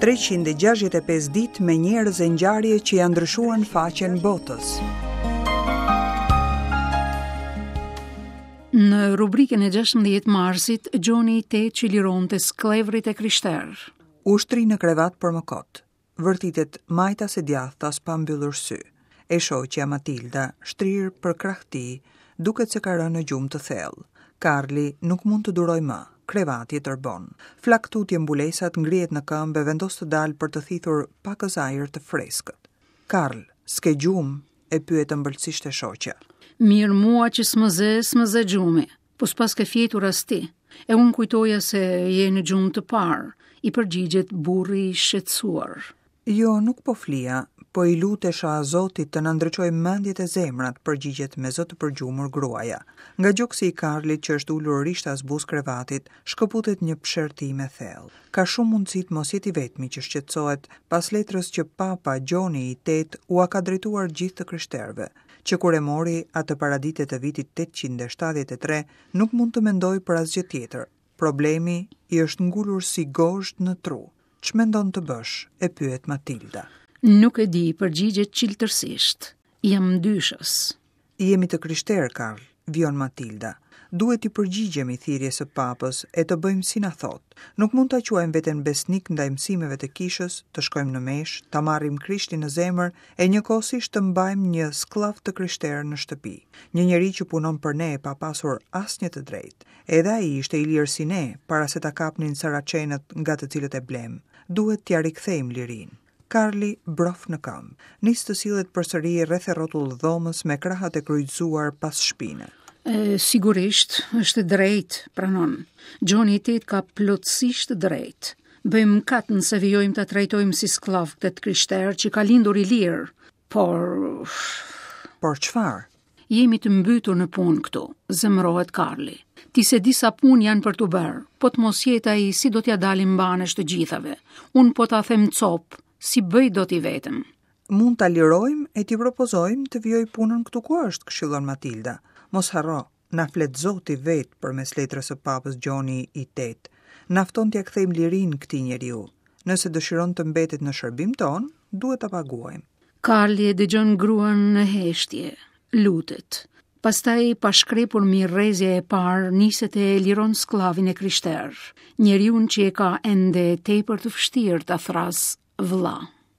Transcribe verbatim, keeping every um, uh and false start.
treqind e gjashtëdhjetë e pesë ditë me njerëz e ngjarje që ja ndryshuan faqen botës. Në rubrikën e gjashtëmbëdhjetë marsit, Gjoni i Tetë që lironte skllevrit e krishterë. U shtri në krevat për më kot. Vërtitet majtas e djathtas pa mbyllur sy. E shoqja Matilda, shtrirë për krah tij, duket se ka rënë në gjumë të thellë. Karli nuk mund të durojë më, krevati e tërbon. Flak tutje mbulesat, ngrihet në këmbë e vendos të dalë për të thithur pakës ajër të freskët. Karl, s'ke gjumë? E pyet ëmbëlsisht e shoqja. Mirë mua që s'më zë, s'më zë gjumi, po s'pas ke fjetur as ti. E unë kujtoja se je në gjumë të parë, i përgjigjet burri i shqetësuar. Jo, nuk po flia, po i lutesha Zotit të na ndriçojë mendjet e zemrat, përgjigjet me zë të përgjumur gruaja. Nga gjoksi i Karlit që është ulur rishtas buzë krevatit, shkëputet një pshertim e thellë. Ka shumë mundësi të mos jetë i vetmi që shqetësohet pas letrës që Papa Gjoni i Tetë ua ka drejtuar gjithë të krishterëve, që kur e mori atë paradite të vitit tetëqind e shtatëdhjetë e tre, nuk mund të mendojë për asgjë tjetër. Problemi i është ngulur si gozhdë në tru. Ç'mendon të bësh? E pyet Matilda. Nuk e di, përgjigjet çiltërsisht. Jam dyshës. Jemi të krishterë, Karl, vijon Matilda. Duhet t'i përgjigjemi thirrjes së papës e të bëjmë si na thot. Nuk mund ta quajmë veten besnik ndaj mësimeve të kishës, të shkojmë në meshë, ta marrim Krishtin në zemër e njëkohësisht të mbajmë një skllav të krishterë në shtëpi, një njeri që punon për ne pa pasur asnjë të drejtë. Edhe ai ishte i lirë si ne, para se ta kapnin saracenët nga të cilët e blem. Duhet t'ia rikthejmë lirinë. Karli brof në këmbë, nis të sillet përsëri rreth e rrotull dhomës me krahët e kryqëzuar pas shpine. E, sigurisht, është e drejtë, pranon. Gjoni i Tetë ka plotësisht të drejtë. Bëjmë kat nëse vijojmë ta trajtojmë si skllav këtë të krishterë që ka lindur i lirë, por Por çfarë? Jemi të mbytur në punë këtu, zemërohet Karli. Ti se disa punë janë për t'u bërë, po të mos jetë ai si do t'ja dalim mbanesh të gjithave. Unë po ta them cop, si bëj dot i vetëm. Mund ta lirojmë e t'i propozojmë të vijoj punën këtu ku është, këshillon Matilda. Mos harro, na flet Zoti vet përmes letrës së Papës Gjoni i Tetë. Na fton t'ia kthejmë lirinë këtij njeriu. Nëse dëshiron të mbetet në shërbim ton, duhet ta paguajmë. Karli e dëgjon gruan në heshtje, lutet. Pastaj, pa shkrepur mirë rrezja e parë, niset e liron skllavin e krishterë, njeriun që e ka ende tepër të vështirë ta thras vëlla.